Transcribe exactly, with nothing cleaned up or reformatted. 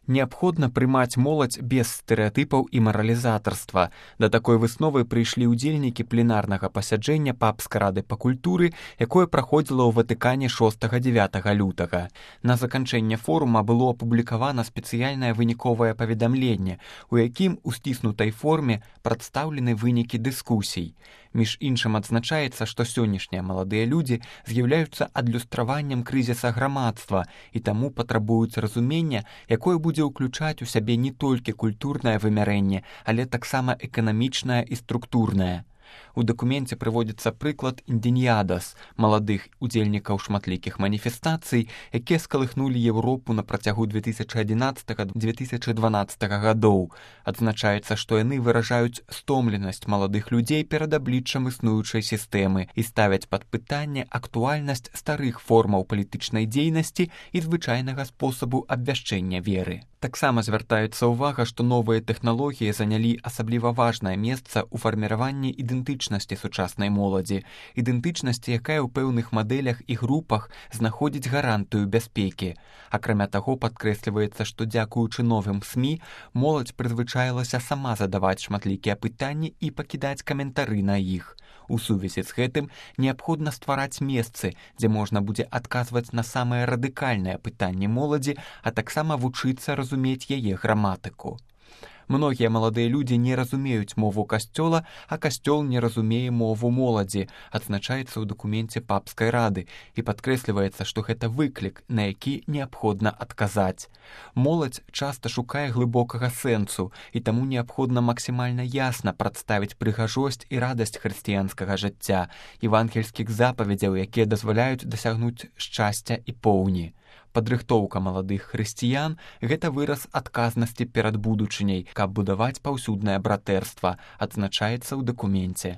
Неабходна прымаць моладзь без стэрэатыпаў і маралізатарства. Да такой высновы прыйшлі ўдзельнікі пленарнага пасяджэння папскай рады па культуры, якое праходзіла ў Ватыкане шостага-дзявятага лютага. На заканчэнне форума было апублікавана спецыяльнае выніковае паведамленне, у якім у сціснутай форме прадстаўлены вынікі дыскусій. Між іншым адзначаецца, што сённяшнія маладыя людзі з'яўляюцца адлюстраваннем крызіса грамадства і таму патрабуюць разумення, якое будзе ўключаць у сябе не толькі культурнае вымярэнне, але таксама эканамічнае і структурнае. У дакуменце прыводзіцца прыклад індзеньядас, маладых удзельнікаў шматлікіх маніфестацый, якія скалыхнулі Еўропу на працягу две тысячы адзінаццатага - две тысячы дванаццатага гадоў. Адзначаецца, што яны выражаюць стомленасць маладых людзей перад абліччам існуючай сістэмы і ставяць пад пытанне актуальнасць старых формаў палітычнай дзейнасці і звычайнага спосабу абвяшчэння веры. Таксама звяртаецца ўвага, што новыя тэхналогіі занялі асабліва важнае месца ў фарміраванні ідэнтычнасці сучаснай моладзі, ідэнтычнасці, якая ў пэўных мадэлях і групах знаходзіць гарантыю бяспекі. Акрамя таго, падкрэсліваецца, што дзякуючы новым СМІ моладзь прызвычаілася сама задаваць шматлікія пытанні і пакідаць каментары на іх. У сувязі з гэтым неабходна ствараць месцы, дзе можна будзе адказваць на самыя радыкальныя пытанні моладзі, а таксама вучыцца разумець яе граматыку. Многія маладыя людзі не разумеюць мову касцёла, а касцёл не разумее мову моладзі, адзначаецца ў дакуменце папскай рады, і падкрэсліваецца, што гэта выклік, на які неабходна адказаць. Моладзь часта шукае глыбокага сэнсу, і таму неабходна максімальна ясна прадставіць прыгажосць і радасць хрысціянскага жыцця, евангельскіх запаведзяў, якія дазваляюць дасягнуць шчасця і поўні. Падрыхтоўка маладых хрысціян – гэта выраз адказнасці перад будучыняй, каб будаваць паўсюднае братэрства, адзначаецца ў дакуменце.